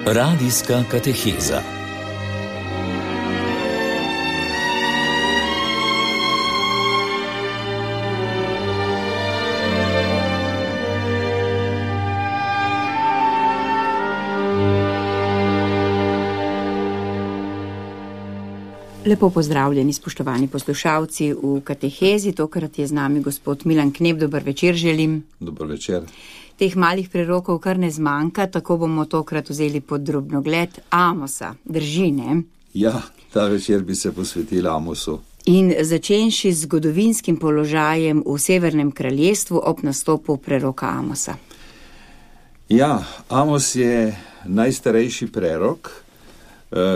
Radijska kateheza. Lepo pozdravljeni, spoštovani poslušalci v katehezi. Tokrat je z nami gospod Milan Knep. Dober večer želim. Dober večer. Teh malih prerokov kar ne zmanjka, tako bomo tokrat vzeli pod drobnogled Amosa. Drži, ne? Ja, ta večer bi se posvetila Amosu. In začenši z zgodovinskim položajem v Severnem kraljestvu ob nastopu preroka Amosa. Ja, Amos je najstarejši prerok,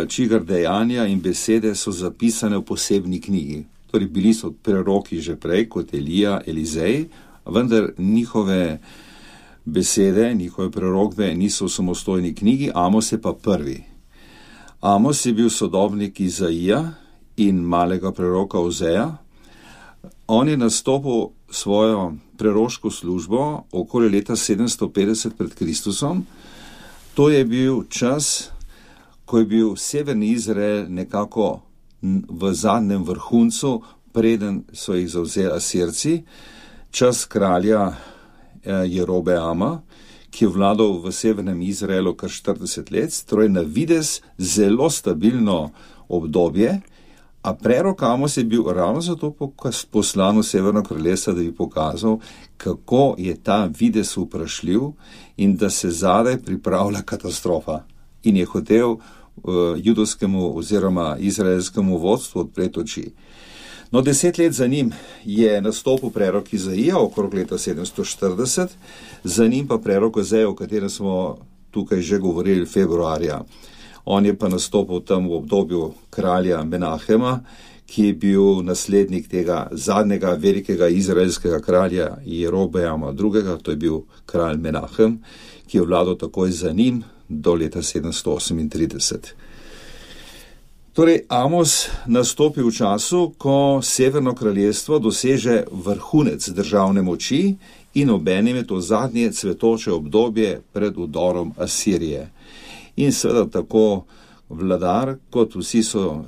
čigar dejanja in besede so zapisane v posebni knjigi. Torej, bili so preroki že prej, kot Elija, Elizej, vendar njihove besede, njihove prerokbe niso v samostojni knjigi, Amos je pa prvi. Amos je bil sodobnik Izaija in malega preroka Ozeja. On je nastopil svojo preroško službo okoli leta 750 pred Kristusom. To je bil čas, ko je bil severni Izrael nekako v zadnjem vrhuncu, preden so jih zavzeli Asirci, čas kralja Jerobeama, ki je vladal v severnem Izraelu kar 40 let, torej na videz zelo stabilno obdobje, a prerok Amos je bil ravno zato poslan v Severno kraljestvo, da bi pokazal, kako je ta videz vprašljiv in da se zadaj pripravlja katastrofa. In je hotel judovskemu oziroma izraelskemu vodstvu odpreti oči. No, 10 let za njim je nastopil prerok Izaija, okrog leta 740, za njim pa prerok Ozeja, o katerem smo tukaj že govorili februarja. On je pa nastopil tam v obdobju kralja Menahema, ki je bil naslednik tega zadnjega velikega izraelskega kralja Jerobeama II., to je bil kralj Menahem, ki je vladal takoj za njim do leta 738. Torej, Amos nastopi v času, ko Severno kraljestvo doseže vrhunec državne moči in obenem je to zadnje cvetoče obdobje pred vdorom Asirije. In seveda tako vladar, kot vsi so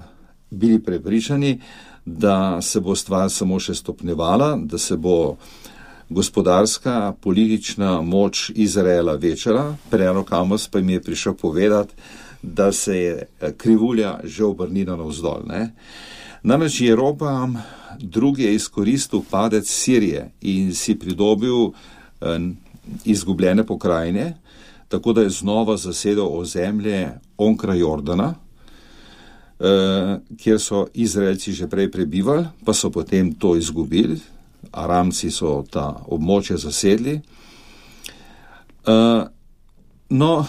bili prepričani, da se bo stvar samo še stopnjevala, da se bo gospodarska, politična moč Izraela večala. Prerok Amos pa jim je prišel povedati, da se je krivulja že obrnila navzdol. Namreč Jerobeam II. Je izkoristil padec Sirije in si pridobil izgubljene pokrajine, tako da je znova zasedel ozemlje onkraj Jordana, kjer so Izraelci že prej prebivali, pa so potem to izgubili. Aramci so ta območje zasedli. No,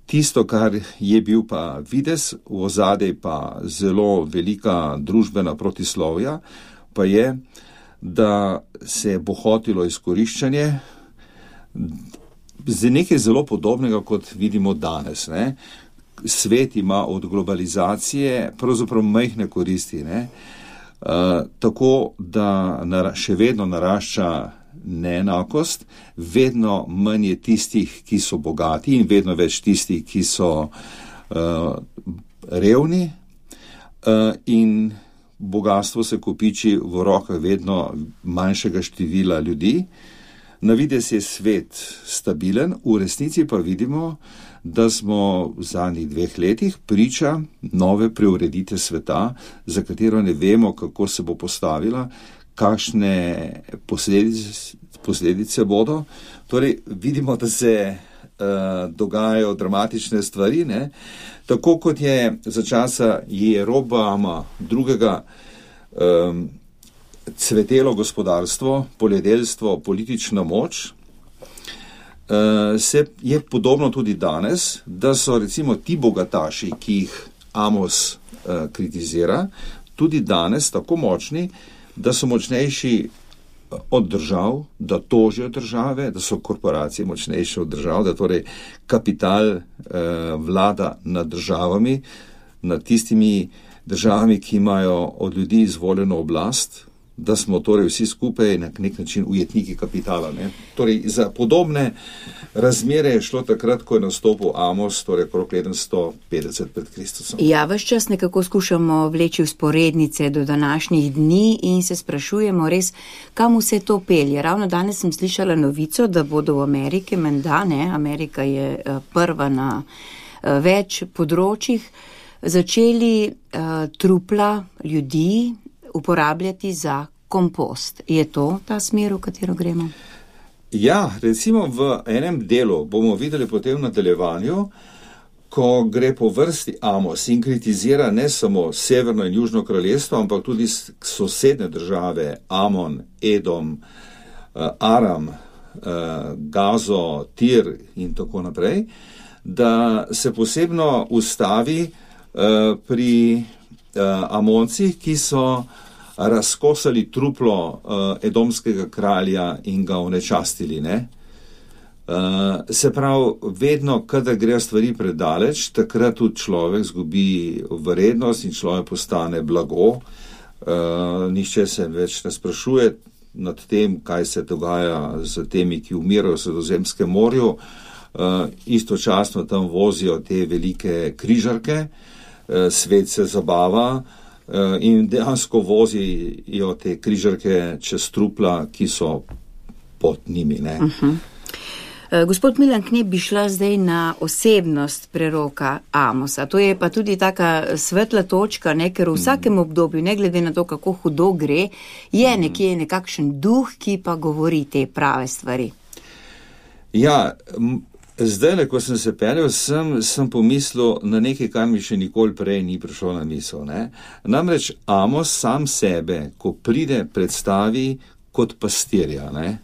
tisto, kar je bil pa videz, v ozadej pa zelo velika družbena protislovja, pa je, da se je bohotilo izkoriščanje z nekaj zelo podobnega, kot vidimo danes. Svet ima od globalizacije pravzaprav majhne koristi, tako da še vedno narašča neenakost, vedno manj je tistih, ki so bogati in vedno več tistih, ki so revni, in bogastvo se kopiči v rokah vedno manjšega števila ljudi. Na videz je svet stabilen, v resnici pa vidimo, da smo v zadnjih 2 letih priča nove preureditve sveta, za katero ne vemo, kako se bo postavila, kakšne posledice bodo. Torej, vidimo, da se dogajajo dramatične stvari, tako kot je za časa Jerobeama II. Cvetelo gospodarstvo, poljedelstvo, politična moč, se je podobno tudi danes, da so recimo ti bogataši, ki jih Amos kritizira, tudi danes tako močni, da so močnejši od držav, da tožijo države, da so korporacije močnejše od držav, da torej kapital vlada nad državami, nad tistimi državami, ki imajo od ljudi izvoljeno oblast, da smo torej vsi skupaj na nek način ujetniki kapitala. Ne? Torej, za podobne razmere je šlo takrat, ko je nastopil Amos, torej okrog 750 pred Kristusom. Ja, ves čas nekako skušamo vleči vzporednice do današnjih dni in se sprašujemo res, kam vse to pelje. Ravno danes sem slišala novico, da bodo v Ameriki, menda ne, Amerika je prva na več področjih, začeli trupla ljudi uporabljati za kompost. Je to ta smer, v katero gremo? Ja, recimo v enem delu bomo videli potem v nadaljevanju, ko gre po vrsti Amos in kritizira ne samo Severno in Južno kraljestvo, ampak tudi sosedne države, Amon, Edom, Aram, Gazo, Tir in tako naprej, da se posebno ustavi pri Amoncih, ki so razkosali truplo edomskega kralja in ga onečastili. Ne? Se pravi, vedno, kadar gre stvari predaleč, takrat tudi človek zgubi vrednost in človek postane blago. Nihče se več ne sprašuje nad tem, kaj se dogaja z temi, ki umirajo v Sredozemskem morju. Istočasno tam vozijo te velike križarke, svet se zabava in dejansko vozijo te križarke čez trupla, ki so pod njimi. Ne? Gospod Milan Knep, bi šla zdaj na osebnost preroka Amosa. To je pa tudi taka svetla točka, ne? Ker v vsakem obdobju, ne glede na to, kako hudo gre, je nekje nekakšen duh, ki pa govori te prave stvari. Ja, zdaj, ko sem se peljal, sem pomislil na nekaj, kar mi še nikoli prej ni prišlo na misel. Ne? Namreč Amos sam sebe, ko pride, predstavi kot pastirja. Ne?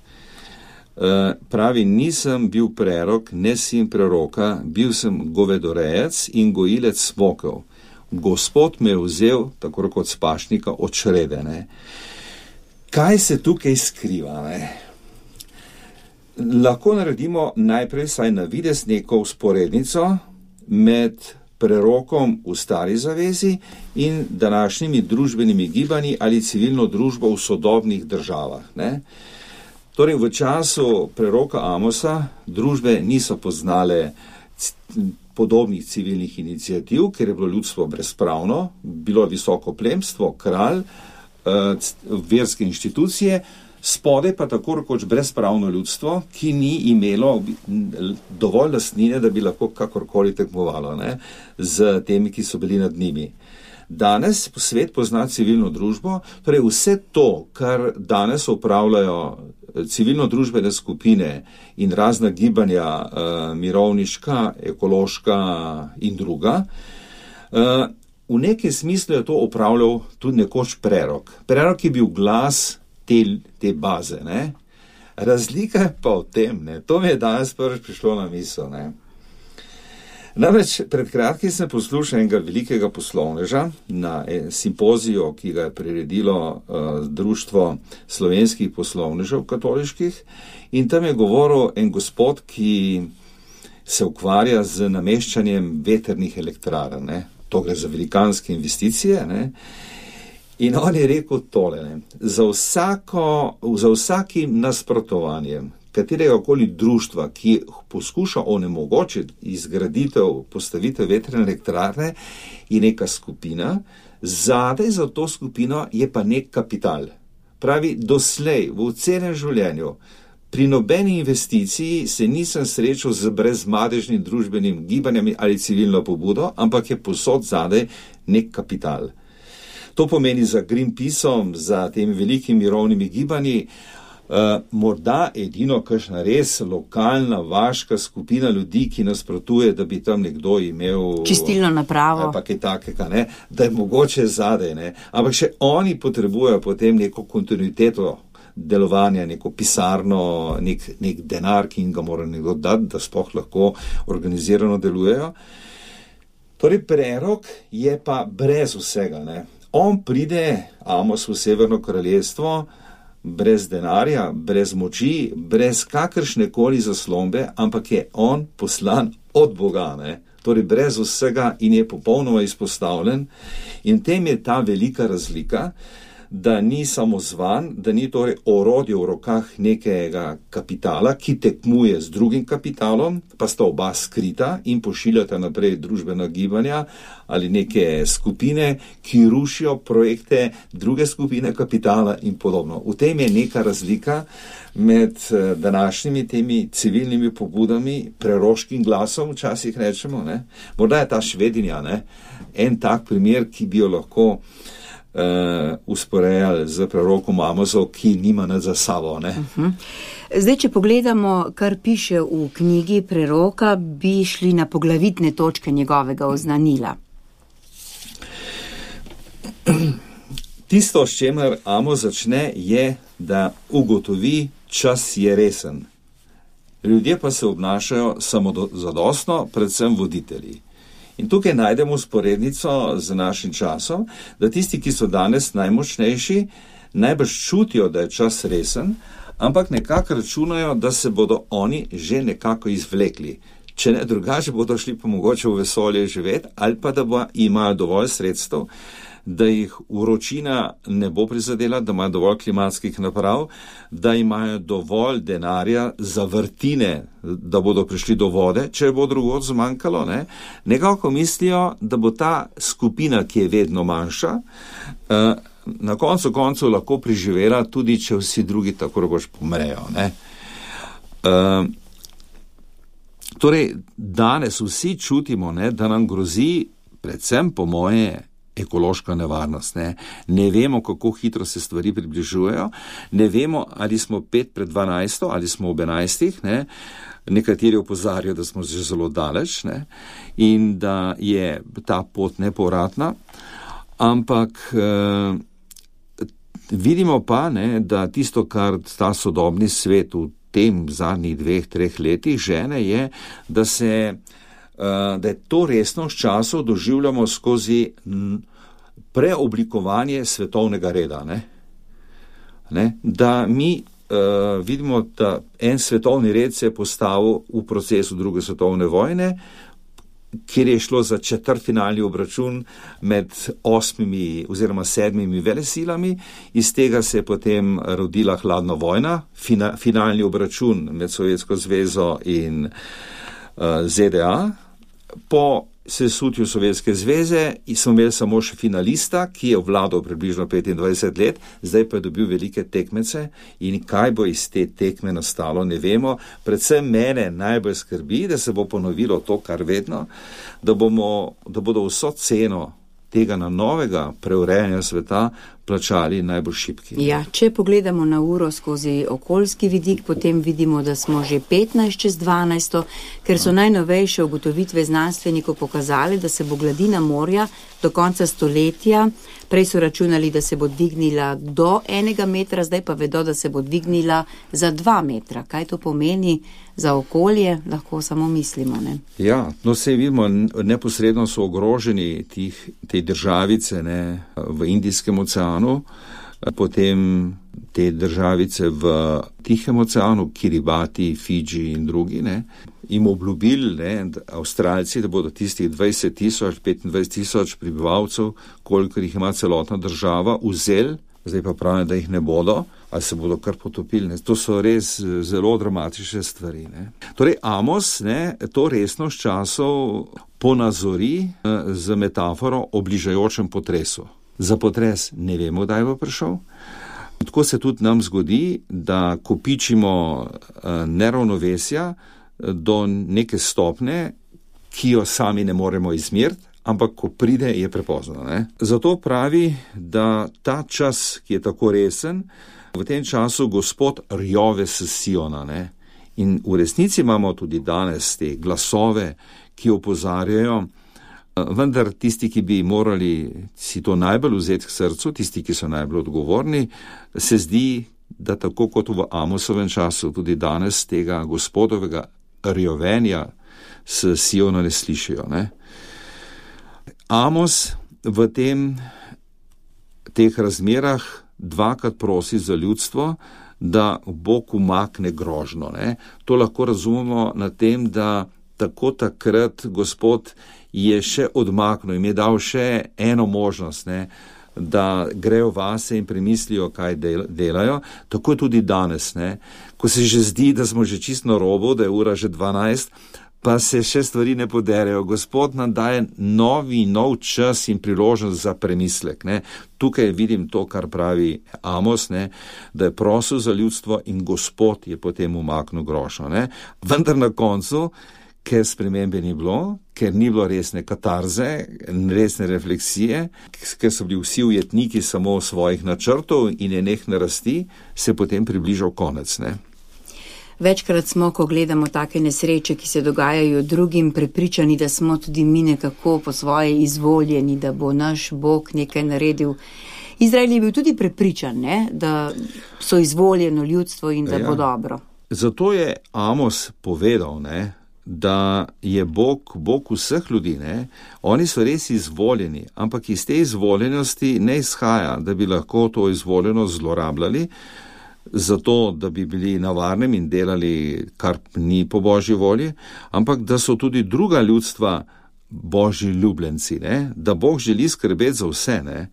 Pravi, nisem bil prerok, ne sin preroka, bil sem govedorejec in gojilec smokov. Gospod me je vzel, tako kot spašnika, od črede. Ne? Kaj se tukaj skriva? Ne? Lahko naredimo najprej saj na videz neko vzporednico med prerokom v Stari zavezi in današnjimi družbenimi gibanji ali civilno družbo v sodobnih državah. Ne? Torej, v času preroka Amosa družbe niso poznale podobnih civilnih iniciativ, ker je bilo ljudstvo brezpravno, bilo visoko plemstvo, kralj, verske inštitucije, spodaj pa tako rekoč brezpravno ljudstvo, ki ni imelo dovolj lastnine, da bi lahko kakorkoli tekmovalo, ne, z temi, ki so bili nad njimi. Danes svet pozna civilno družbo, torej vse to, kar danes upravljajo civilno-družbene skupine in razna gibanja, mirovniška, ekološka in druga, v nekem smislu je to upravljal tudi nekoč prerok. Prerok je bil glas te baze. Ne? Razlika je pa v tem, ne? To mi je danes prvič prišlo na misel. Ne? Namreč pred kratkim sem poslušal enega velikega poslovneža na simpoziju, ki ga je priredilo Društvo slovenskih poslovnežev katoliških, in tam je govoril en gospod, ki se ukvarja z nameščanjem vetrnih elektrarn. Ne? To gre za velikanske investicije. Ne? In on je rekel tole, ne? Za vsakim nasprotovanjem katerega koli društva, ki poskuša onemogočiti izgraditev, postavitev vetrne elektrarne, je neka skupina, zadaj za to skupino je pa nek kapital. Pravi, doslej v celem življenju pri nobeni investiciji se nisem srečal z brezmadežnim družbenim gibanjem ali civilno pobudo, ampak je posod zadaj nek kapital. To pomeni za Greenpeaceom, za temi velikimi mirovnimi gibanji, morda edino kakšna res lokalna, vaška skupina ljudi, ki nasprotuje, da bi tam nekdo imel čistilno napravo, pa kaj takega, ne, da je mogoče zadaj, ne. Ampak še oni potrebujejo potem neko kontinuiteto delovanja, neko pisarno, nek denar, ki jim ga mora nekdo dati, da sploh lahko organizirano delujejo. Torej, prerok je pa brez vsega, ne. On pride, Amos, v Severno kraljestvo, brez denarja, brez moči, brez kakršne koli zaslombe, ampak je on poslan od Boga, ne? Torej brez vsega in je popolnoma izpostavljen. In tem je ta velika razlika, da ni samozvan, da ni torej orodje v rokah nekega kapitala, ki tekmuje z drugim kapitalom, pa sta oba skrita in pošiljata naprej družbena gibanja ali neke skupine, ki rušijo projekte druge skupine kapitala in podobno. V tem je neka razlika med današnjimi temi civilnimi pobudami, preroškim glasom, včasih rečemo, ne? Morda je ta Švedinja, ne? En tak primer, ki bi jo lahko usporejali z prerokom Amosov, ki nima nič za sabo. Ne? Zdaj, če pogledamo, kar piše v knjigi preroka, bi šli na poglavitne točke njegovega oznanila. Tisto, s čemer Amos začne, je, da ugotovi, čas je resen. Ljudje pa se obnašajo samozadostno, predvsem voditelji. In tukaj najdemo sporednico z našim časom, da tisti, ki so danes najmočnejši, najbrž čutijo, da je čas resen, ampak nekako računajo, da se bodo oni že nekako izvlekli. Če ne drugače, bodo šli pa mogoče v vesolje živeti, ali pa da imajo dovolj sredstev, da jih vročina ne bo prizadela, da imajo dovolj klimatskih naprav, da imajo dovolj denarja za vrtine, da bodo prišli do vode, če bo drugod zmanjkalo. Ne? Nekako mislijo, da bo ta skupina, ki je vedno manjša, na koncu koncev lahko preživela, tudi če vsi drugi tako rekoč pomrejo. Ne? Torej, danes vsi čutimo, ne, da nam grozi, predvsem po moje, ekološka nevarnost. Ne vemo, kako hitro se stvari približujejo, ne vemo, ali smo 5 pred 12, ali smo ob 11. Ne? Nekateri opozarjajo, da smo že zelo daleč, ne? In da je ta pot nepovratna, ampak vidimo pa, ne, da tisto, kar ta sodobni svet v tem zadnjih 2-3 letih žene, je, da je to resnost časov doživljamo skozi preoblikovanje svetovnega reda. Ne? Da mi vidimo, da en svetovni red se je postavil v procesu druge svetovne vojne, kjer je šlo za četrtfinalni obračun med 8 oziroma 7 velesilami. Iz tega se je potem rodila hladna vojna, finalni obračun med Sovjetsko zvezo in ZDA. Po sesutju Sovjetske zveze smo imeli samo še finalista, ki je vladal približno 25 let, zdaj pa je dobil velike tekmece in kaj bo iz te tekme nastalo, ne vemo. Predvsem mene najbolj skrbi, da se bo ponovilo to, kar vedno, da bodo vso ceno tega novega preurejanja sveta plačali najbolj šibki. Ja, če pogledamo na uro skozi okoljski vidik, potem vidimo, da smo že 15 čez 12, ker so najnovejše ugotovitve znanstvenikov pokazali, da se bo gladina morja do konca stoletja, prej so računali, da se bo dvignila do 1 metra, zdaj pa vedo, da se bo dvignila za 2 metra. Kaj to pomeni za okolje, lahko samo mislimo, ne? Ja, se vidimo, neposredno so ogroženi te državice, ne, v Indijskem oceanu, potem te državice v Tihem oceanu, Kiribati, Fidži in drugi, ne, jim obljubili, ne, Avstralci, da bodo tistih 20,000, 25,000 prebivalcev, kolikor jih ima celotna država, vzeli, zdaj pa pravijo, da jih ne bodo, ali se bodo kar potopili. Ne. To so res zelo dramatične stvari. Ne. Torej, Amos, ne, to resnost časov ponazori z metaforo o bližajočem potresu. Za potres ne vemo, kdaj bo prišel. Tako se tudi nam zgodi, da kopičimo neravnovesja do neke stopne, ki jo sami ne moremo izmeriti, ampak ko pride, je prepozno. Ne? Zato pravi, da ta čas, ki je tako resen, v tem času Gospod rjove s Siona. Ne? In v resnici imamo tudi danes te glasove, ki opozarjajo, vendar tisti, ki bi morali si to najbolj vzeti k srcu, tisti, ki so najbolj odgovorni, se zdi, da tako kot v Amosovem času, tudi danes tega Gospodovega rjovenja s Siona ne slišijo. Ne? Amos v teh razmerah dvakrat prosi za ljudstvo, da Bog umakne grožnjo. Ne? To lahko razumemo na tem, da tako takrat Gospod je še odmaknil in je dal še eno možnost, ne, da grejo vase in premislijo, kaj delajo. Tako je tudi danes, ne? Ko se že zdi, da smo že čisto na robu, da je ura že 12, pa se še stvari ne poderejo. Gospod nam daje nov čas in priložnost za premislek. Ne? Tukaj vidim to, kar pravi Amos, ne? Da je prosil za ljudstvo in Gospod je potem umaknil grošo. Ne? Vendar na koncu, ker spremembe ni bilo, ker ni bilo resne katarze, resne refleksije, ker so bili vsi ujetniki samo svojih načrtov in nenehne rasti, se potem približal konec. Ne? Večkrat smo, ko gledamo take nesreče, ki se dogajajo drugim, prepričani, da smo tudi mi nekako po svoje izvoljeni, da bo naš Bog nekaj naredil. Izrael je bil tudi prepričan, ne? Da so izvoljeno ljudstvo in da bo dobro. Zato je Amos povedal, ne? Da je Bog vseh ljudi, ne? Oni so res izvoljeni, ampak iz te izvoljenosti ne izhaja, da bi lahko to izvoljenost zlorabljali, zato, da bi bili na varnem in delali, kar ni po Božji volji, ampak da so tudi druga ljudstva Božji ljubljenci, ne? Da Bog želi skrbeti za vse, ne?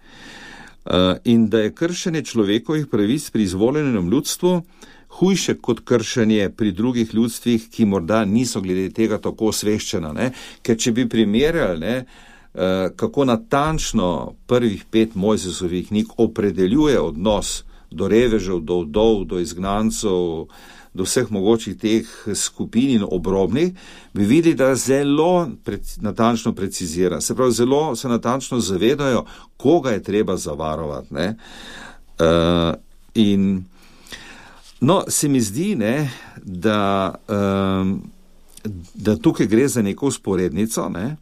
In da je kršenje človekovih pravic pri izvoljenem ljudstvu hujše kot kršenje pri drugih ljudstvih, ki morda niso glede tega tako osveščena, ne? Ker če bi primerjali, ne, kako natančno prvih 5 Mojzesovih knjig opredeljuje odnos do revežev, do vdov, do izgnancov, do vseh mogočih teh skupin in obrobnih, bi videli, da zelo natančno precizira. Se pravi, zelo se natančno zavedajo, koga je treba zavarovati. Ne? No, se mi zdi, ne, da tukaj gre za neko usporednico, ne,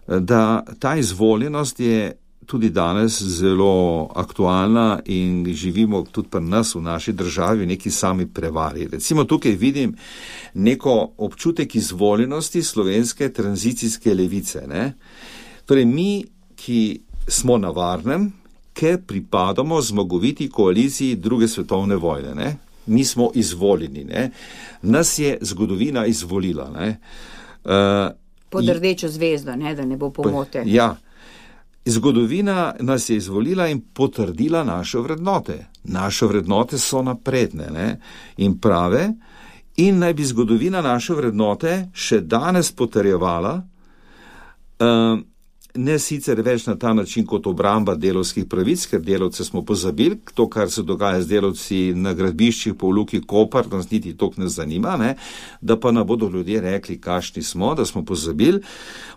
da ta izvoljenost je tudi danes zelo aktualna in živimo tudi pri nas v naši državi v neki sami prevari. Recimo tukaj vidim neko občutek izvoljenosti slovenske tranzicijske levice. Ne? Torej mi, ki smo na varnem, ker pripadamo zmagoviti koaliciji druge svetovne vojne. Ne? Mi smo izvoljeni. Ne? Nas je zgodovina izvolila. Ne? Pod rdečo zvezdo, ne? Da ne bo pomote. Ja. Zgodovina nas je izvolila in potrdila naše vrednote. Naše vrednote so napredne, ne? In prave, in naj bi zgodovina naše vrednote še danes potrjevala, ne sicer več na ta način kot obramba delavskih pravic, ker delavce smo pozabili, to, kar se dogaja z delavci na gradbiščih po Luki Koper, nas niti toliko ne zanima, ne? Da pa nam bodo ljudje rekli, kakšni smo, da smo pozabili,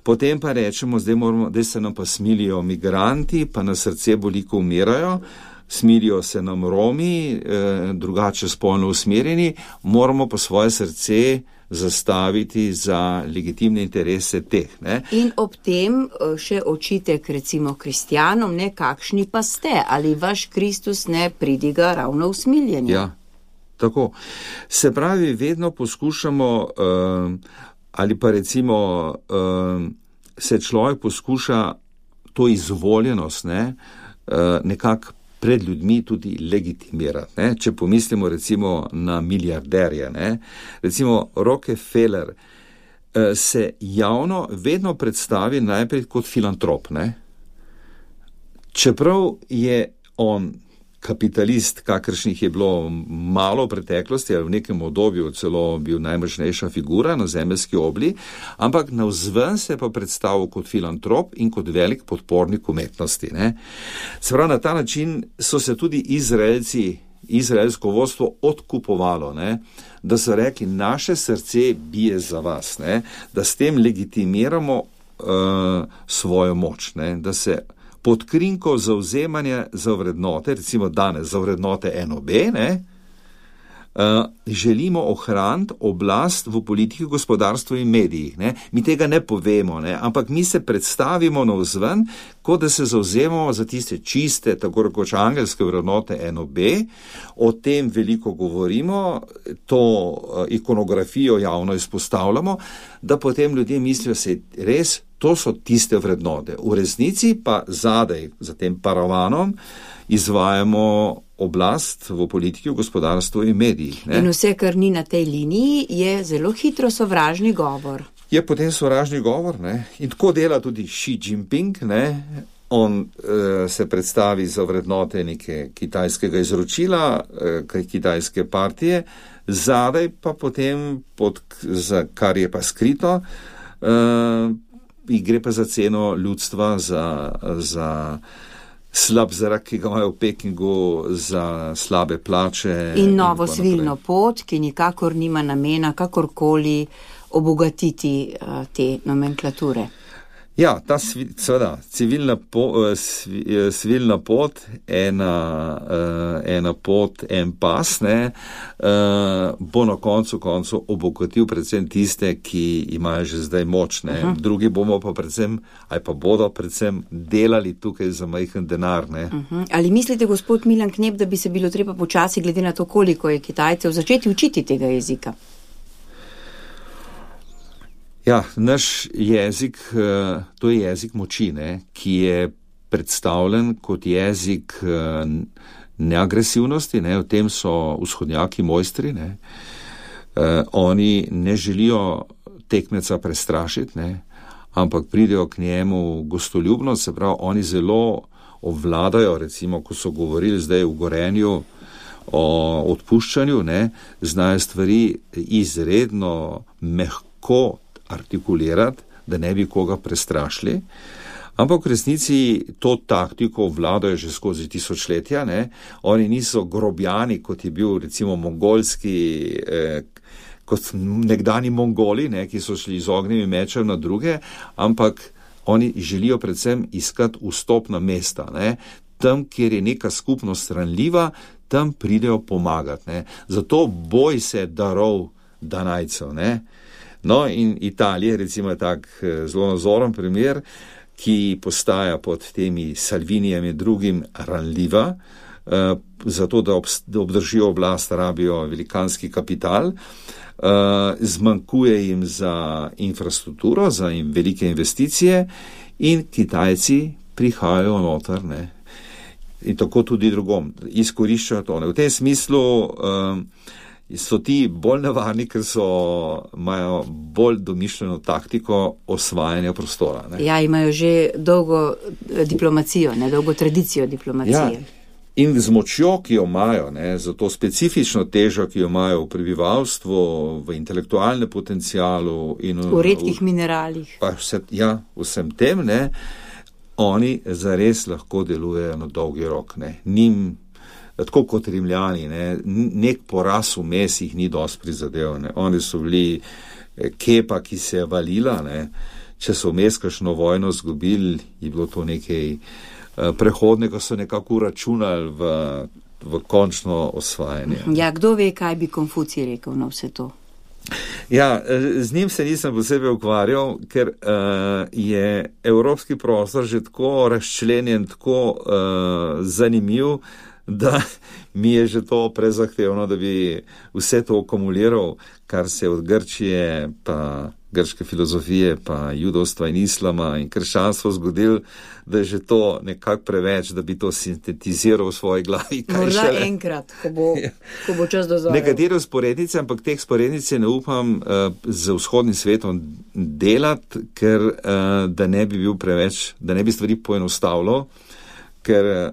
potem pa rečemo, zdaj se nam pa smilijo migranti, pa na srce boli, ko umirajo, smilijo se nam Romi, drugače spolno usmerjeni, moramo pa svoje srce zastaviti za legitimne interese teh. Ne? In ob tem še očitek recimo kristjanom, ne, kakšni pa ste, ali vaš Kristus ne pridiga ravno usmiljenju. Ja, tako. Se pravi, vedno poskušamo, ali pa recimo se človek poskuša to izvoljenost, ne, nekako pred ljudmi tudi legitimirati. Ne? Če pomislimo recimo na milijarderje, ne? Recimo Rockefeller se javno vedno predstavi najprej kot filantrop. Ne? Čeprav je on kapitalist, kakršnih je bilo malo v preteklosti, ali v nekem obdobju celo bil najmočnejša figura na zemeljski obli, ampak navzven se pa predstavil kot filantrop in kot velik podpornik umetnosti. Ne? Se pravi, na ta način so se tudi izraelsko vodstvo odkupovalo, ne? Da so rekli, naše srce bije za vas, ne? Da s tem legitimiramo svojo moč, ne? Da se pod krinko zauzemanja za vrednote, recimo danes za vrednote NOB, ne, želimo ohraniti oblast v politiki, gospodarstvu in medijih. Ne. Mi tega ne povemo, ne, ampak mi se predstavimo navzven, kot da se zauzemamo za tiste čiste, tako rekoč angelske vrednote NOB, o tem veliko govorimo, to ikonografijo javno izpostavljamo, da potem ljudje mislijo, se res, to so tiste vrednote. V resnici pa zadaj, za tem paravanom, izvajamo oblast v politiki, v gospodarstvu in medijih. Ne? In vse, kar ni na tej liniji, je zelo hitro sovražni govor. Je potem sovražni govor, ne? In tako dela tudi Xi Jinping, ne? on se predstavi za vrednote neke kitajskega izročila, kitajske partije, zadaj pa potem, kar je pa skrito, gre pa za ceno ljudstva, za slab zrak, ki ga imajo v Pekingu, za slabe plače. In novo svilno pot, ki nikakor nima namena kakorkoli obogatiti te nomenklature. Ja, ta seveda, svilna pot, ena pot, en pas, bo na koncu obogatil predvsem tiste, ki imajo že zdaj moč, ne. Drugi bomo pa predvsem, ali pa bodo predvsem delali tukaj za majhen denar, ne. Ali mislite, gospod Milan Knep, da bi se bilo treba počasi, glede na to, koliko je Kitajcev, začeti učiti tega jezika? Ja, naš jezik, to je jezik moči, ne, ki je predstavljen kot jezik neagresivnosti, ne, v tem so vzhodnjaki mojstri, ne. Oni ne želijo tekmeca prestrašiti, ne, ampak pridejo k njemu gostoljubno, se pravi, oni zelo obvladajo, recimo, ko so govorili zdaj v Gorenju o odpuščanju, ne, znajo stvari izredno mehko artikulirati, da ne bi koga prestrašili, ampak v resnici to taktiko vladajo že skozi tisočletja, ne. Oni niso grobjani, kot je bil recimo mongolski, kot nekdani Mongoli, ne, ki so šli z ognjemi mečem na druge, ampak oni želijo predvsem iskati vstopna mesta, ne. Tam, kjer je neka skupnost ranljiva, tam pridejo pomagati, ne. Zato boj se darov Danajcev, ne. No, in Italija, recimo, je tak zelo nazoren primer, ki postaja pod temi Salvinijami drugim ranljiva, zato da obdržijo oblast, rabijo velikanski kapital, zmanjkuje jim za infrastrukturo, za velike investicije in Kitajci prihajajo noter, ne. In tako tudi drugom, izkoriščajo to, ne. V tem smislu so ti bolj nevarni, ker imajo bolj domišljeno taktiko osvajanja prostora, ne. Ja, imajo že dolgo diplomacijo, ne, dolgo tradicijo diplomacije. Ja, in z močjo, ki jo imajo, ne, za to specifično težo, ki jo imajo v prebivalstvu, v intelektualnem potencialu in v redkih mineralih. Pa vsem tem, ne, oni zares lahko delujejo na dolgi rok, ne. Njim, tako kot Rimljani, ne, nek poraz vmes jih ni dosti prizadel, ne. Oni so bili kepa, ki se je valila, ne. Če so vmes kakšno vojno zgubili, je bilo to nekaj prehodnega, so nekako računali v končno osvajanje. Ja, kdo ve, kaj bi Konfucij rekel na vse to? Ja, z njim se nisem posebej ukvarjal, ker je evropski prostor že tako razčlenjen, tako zanimiv, da mi je že to prezahtevno, da bi vse to akumuliral, kar se od Grčije, pa grške filozofije, pa judovstva in islama in krščanstva zgodil, da je že to nekako preveč, da bi to sintetiziral v svoji glavi. Morda enkrat, ko bo čas dozorel. Nekatere vzporednice, ampak teh vzporednice ne upam z vzhodnim svetom delati, ker da ne bi bil preveč, da ne bi stvari poenostavilo, ker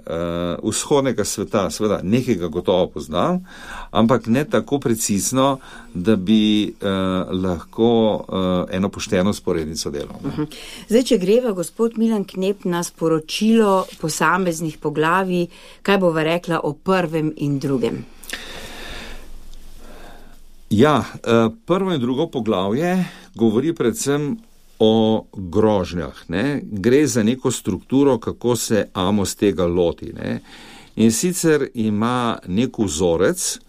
vzhodnega sveta seveda nekega gotovo poznam, ampak ne tako precizno, da bi lahko eno pošteno sporednico delal. Zdaj, če greva, gospod Milan Knep, na sporočilo posameznih poglavij, kaj bova rekla o prvem in drugem? Ja, prvo in drugo poglavje govori predvsem o grožnjah, ne. Gre za neko strukturo, kako se Amos tega loti, ne. In sicer ima nek vzorec,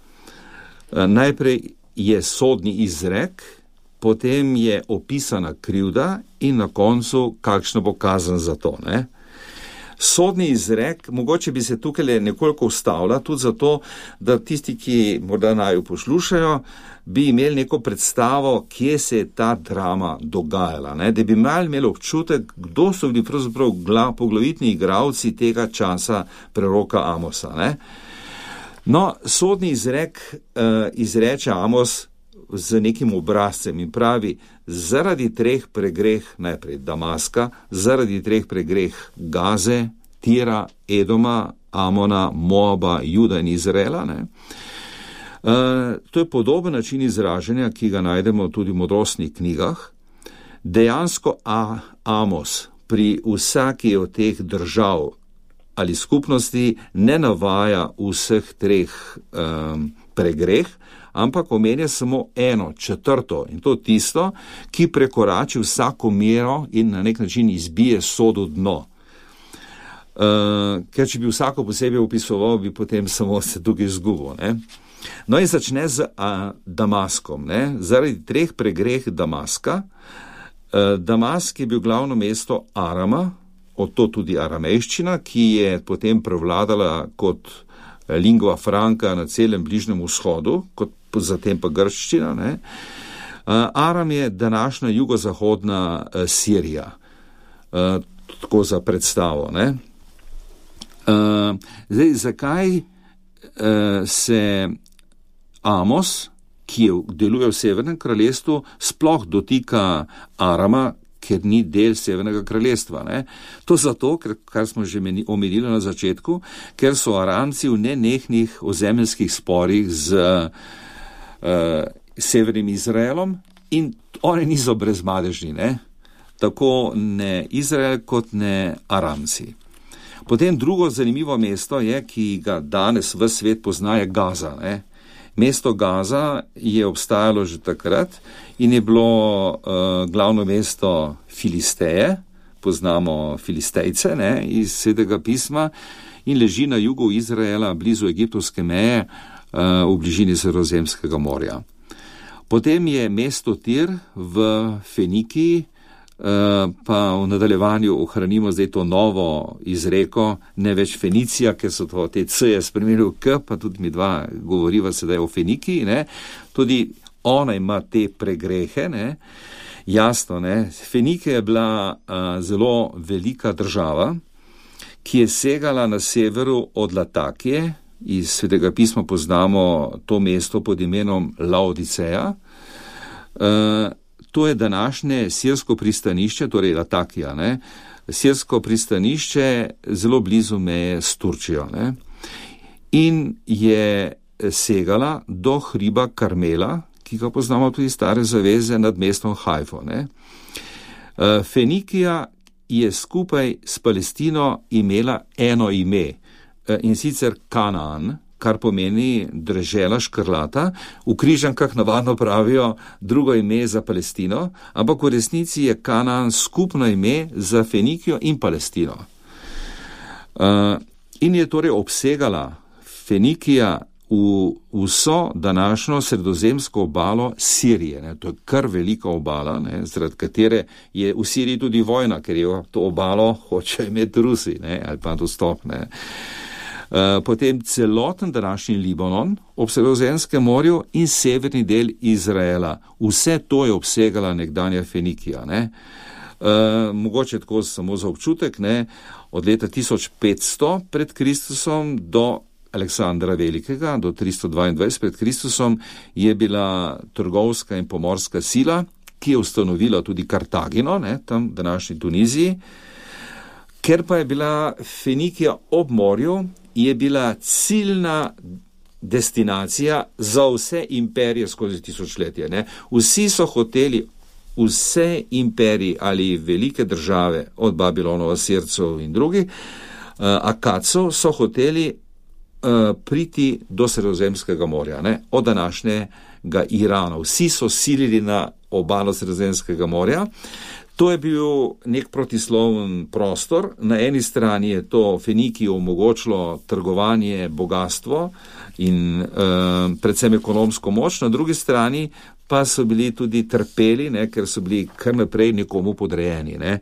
najprej je sodni izrek, potem je opisana krivda in na koncu kakšna bo kazen za to, ne. Sodni izrek, mogoče bi se tukaj nekoliko ustavila, tudi zato, da tisti, ki morda naju poslušajo, bi imeli neko predstavo, kje se je ta drama dogajala, ne? Da bi imeli občutek, kdo so bili pravzaprav poglavitni igralci tega časa preroka Amosa, ne? No, sodni izrek izreče Amos z nekim obrazcem in pravi, zaradi 3 pregreh najprej Damaska, zaradi 3 pregreh Gaze, Tira, Edoma, Amona, Moaba, Juda in Izraela, ne. To je podoben način izražanja, ki ga najdemo tudi v modrostnih knjigah. Dejansko Amos pri vsaki od teh držav ali skupnosti ne navaja vseh 3 pregreh, ampak omenja samo 1/4 in to tisto, ki prekorači vsako mero in na nek način izbije sodo dno. Ker če bi vsako posebej opisoval, bi potem samo se tukaj izgubil, ne. No in začne z Damaskom, ne. Zaradi 3 pregreh Damaska. Damask je bil glavno mesto Arama, od to tudi aramejščina, ki je potem prevladala kot lingua franca na celem Bližnjem vzhodu, kot zatem pa grščina, ne. Aram je današnja jugozahodna Sirija, tako za predstavo, ne. Zdaj, zakaj se Amos, ki deluje v Severnem kraljestvu, sploh dotika Arama, ker ni del Severnega kraljestva, ne? To zato, kar smo že omenili na začetku, ker so Aramci v nenehnih ozemeljskih sporih z Severnim Izraelom in oni niso brezmadežni, ne? Tako ne Izrael kot ne Aramci. Potem drugo zanimivo mesto je, ki ga danes v svet pozna, je Gaza, ne? Mesto Gaza je obstajalo že takrat in je bilo glavno mesto Filisteje, poznamo Filistejce, ne, iz Svetega pisma, in leži na jugu Izraela, blizu egiptovske meje, v bližini Sredozemskega morja. Potem je mesto Tir v Fenikiji, pa v nadaljevanju ohranimo zdaj to novo izreko, ne več Fenicija, ker so to te C-je spremenili v K, pa tudi mi dva govoriva sedaj o Fenikiji, ne. Tudi ona ima te pregrehe, ne. Jasno, ne. Fenikija je bila zelo velika država, ki je segala na severu od Latakije. Iz Svetega pisma poznamo to mesto pod imenom Laodiceja. To je današnje sirsko pristanišče, torej Latakija, ne. Sirsko pristanišče zelo blizu meje s Turčijo, ne. In je segala do hriba Karmela, ki ga poznamo tudi iz Stare zaveze, nad mestom Hajfo, ne. Fenikija je skupaj s Palestino imela eno ime, in sicer Kanaan, kar pomeni dežela škrlata. V križankah navadno pravijo drugo ime za Palestino, ampak v resnici je Kanaan skupno ime za Fenikijo in Palestino. In je torej obsegala Fenikija v vso današnjo sredozemsko obalo Sirije, ne. To je kar velika obala, ne, zaradi katere je v Siriji tudi vojna, ker je to obalo hoče imeti Rusi, ne, ali pa dostop, ne. Potem celoten današnji Libanon ob Sredozemskem morju in severni del Izraela. Vse to je obsegala nekdanja Fenikija, ne. Mogoče tako samo za občutek, ne, od leta 1500 pred Kristusom do Aleksandra Velikega, do 322 pred Kristusom, je bila trgovska in pomorska sila, ki je ustanovila tudi Kartagino, ne, tam v današnji Tuniziji. Ker pa je bila Fenikija ob morju, je bila ciljna destinacija za vse imperije skozi tisočletje, ne. Vsi so hoteli, vse imperiji ali velike države, od Babilonov, Asircev in drugih, Akadcev, so hoteli priti do Sredozemskega morja, ne, od današnjega Irana. Vsi so silili na obalo Sredozemskega morja. To je bil nek protisloven prostor. Na eni strani je to Fenikiji omogočilo trgovanje, bogatstvo in predvsem ekonomsko moč, na drugi strani pa so bili tudi trpeli, ne, ker so bili kar naprej nekomu podrejeni, ne.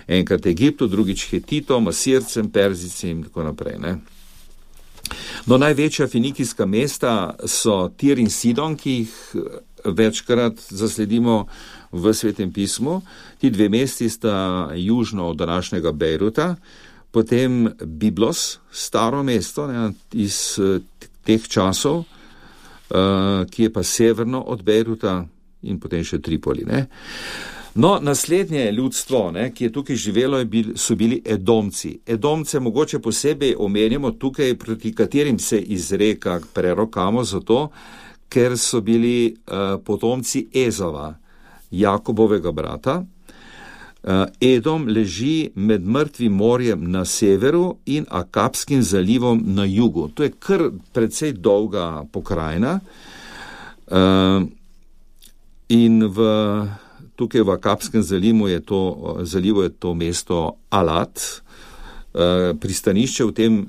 Enkrat Egiptu, drugič Hetitom, Asircem, Perzicem in tako naprej, ne. No, največja fenikijska mesta so Tir in Sidon, ki jih večkrat zasledimo v Svetem pismu. Ti dve mesti sta južno od današnjega Bejruta, potem Biblos, staro mesto, ne, iz teh časov, ki je pa severno od Bejruta in potem še Tripoli, ne. No, naslednje ljudstvo, ne, ki je tukaj živelo, so bili Edomci. Edomce mogoče posebej omenjamo tukaj, proti katerim se izreka prerok Amos, zato, ker so bili potomci Ezava, Jakobovega brata. Edom leži med Mrtvim morjem na severu in Akabskim zalivom na jugu. To je kar precej dolga pokrajina. In tukaj v Akabskem zalivu je to mesto Alat, pristanišče v tem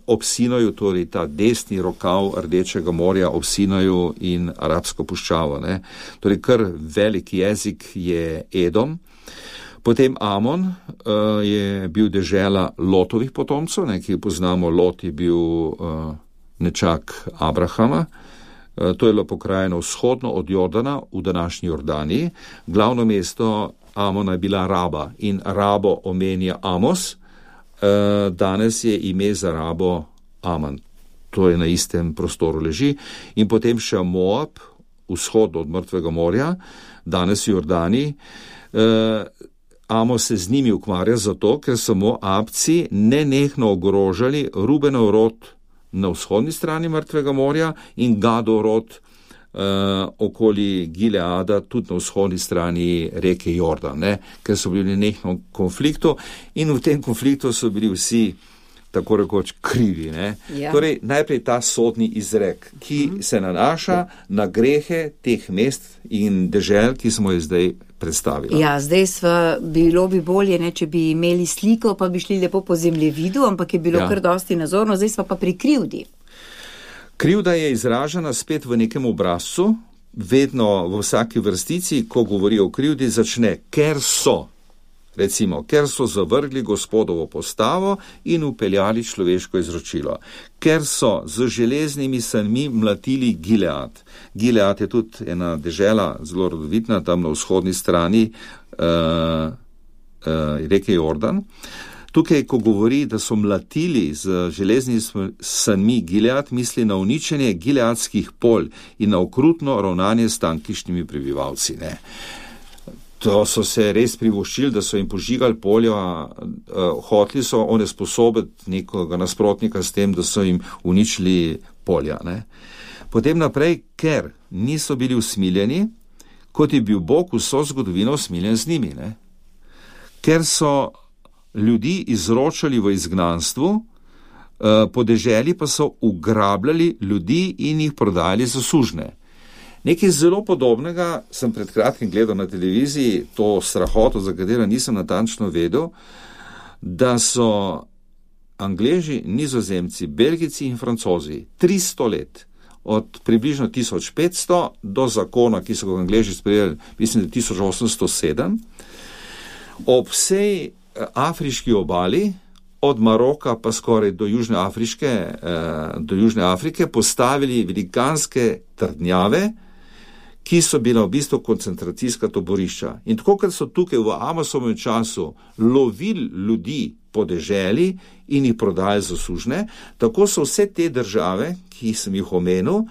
ob Sinaju, torej ta desni rokav Rdečega morja ob Sinaju in Arabsko puščavo, ne. Torej kar velik jezik je Edom. Potem Amon je bil dežela Lotovih potomcev, ne, ki poznamo, Lot je bil nečak Abrahama. To je bilo pokrajino vzhodno od Jordana v današnji Jordaniji. Glavno mesto Amona je bila Raba in Rabo omenja Amos. Danes je ime za Rabo Aman. To je na istem prostoru leži. In potem še Moab, vzhodno od Mrtvega morja, danes v Jordaniji. Amos se z njimi ukvarja zato, ker so Moabci nenehno ogrožali Rubenov rod na vzhodni strani Mrtvega morja in Gadov rod okoli Gileada, tudi na vzhodni strani reke Jordan, ne, ker so bili nenehno v konfliktu in v tem konfliktu so bili vsi tako rekoč krivi, ne. Ja. Torej, najprej ta sodni izrek, ki se nanaša na grehe teh mest in dežel, ki smo jih zdaj predstavili. Ja, zdaj bilo bi bolje, ne, če bi imeli sliko, pa bi šli lepo po zemljevidu, ampak je bilo kar dosti nazorno, zdaj sva pa pri krivdi. Krivda je izražena spet v nekem obrazcu, vedno v vsaki vrstici, ko govori o krivdi, začne, ker so. Recimo, ker so zavrgli Gospodovo postavo in upeljali človeško izročilo. Ker so z železnimi sanmi mlatili Gilead. Gilead je tudi ena dežela, zelo rodovitna, tam na vzhodni strani reke Jordan. Tukaj, ko govori, da so mlatili z železnimi sanmi Gilead, misli na uničenje gileadskih polj in na okrutno ravnanje s tamkajšnjimi prebivalci, ne. To so se res privoščili, da so jim požigali polja, hoteli so onesposobiti nekoga nasprotnika s tem, da so jim uničili polja, ne. Potem naprej, ker niso bili usmiljeni, kot je bil Bog vso zgodovino usmiljen z njimi, ne. Ker so ljudi izročali v izgnanstvu, po deželi pa so ugrabljali ljudi in jih prodajali za sužne. Nekaj zelo podobnega sem pred kratkim gledal na televiziji, to strahoto, za katero nisem natančno vedel, da so Angleži, Nizozemci, Belgijci in Francozi 300 let, od približno 1500 do zakona, ki so ga Angleži sprejeli, mislim, da 1807, ob vsej afriški obali, od Maroka pa skoraj do Južne Afrike, postavili velikanske trdnjave, ki so bila v bistvu koncentracijska taborišča. In tako, ker so tukaj v Amosovem času lovili ljudi po deželi in jih prodajali za sužne, tako so vse te države, ki sem jih omenil,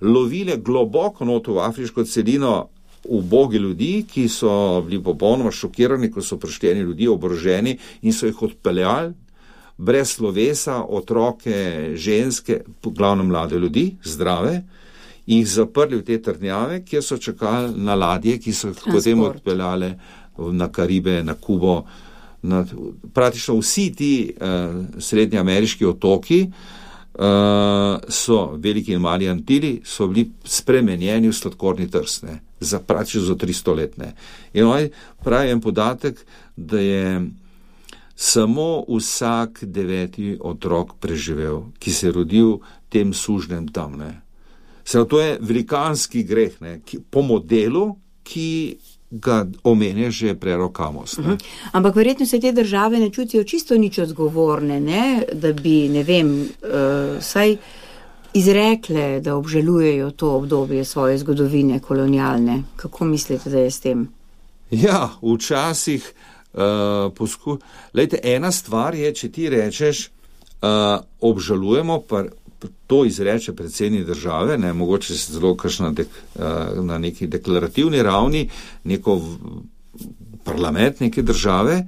lovile globoko noto v afriško celino ubogi ljudi, ki so bili popolnoma šokirani, ko so prišli ljudi oboroženi in so jih odpeljali brez slovesa, otroke, ženske, glavno mlade ljudi, zdrave, in jih zaprli v te trdnjave, kjer so čakali na ladje, ki so potem odpeljale na Karibe, na Kubo. Praktično vsi ti srednjeameriški otoki so, veliki in mali Antili, so bili spremenjeni v sladkorni trst, ne, praktično za 300 let. Ne. In oni pravi en podatek, da je samo vsak 9. otrok preživel, ki se je rodil tem sužnem tam, ne. To je velikanski greh, ne, po modelu, ki ga omenja že prerok Amos. Ampak verjetno se te države ne čutijo čisto nič odgovorne, ne, da bi, ne vem, saj izrekle, da obžalujejo to obdobje svoje zgodovine kolonialne. Kako mislite, da je s tem? Ja, včasih Lejte, ena stvar je, če ti rečeš, obžalujemo, to izreče predsednik države, ne, mogoče se zelo kakšna na neki deklarativni ravni, neko parlament neke države,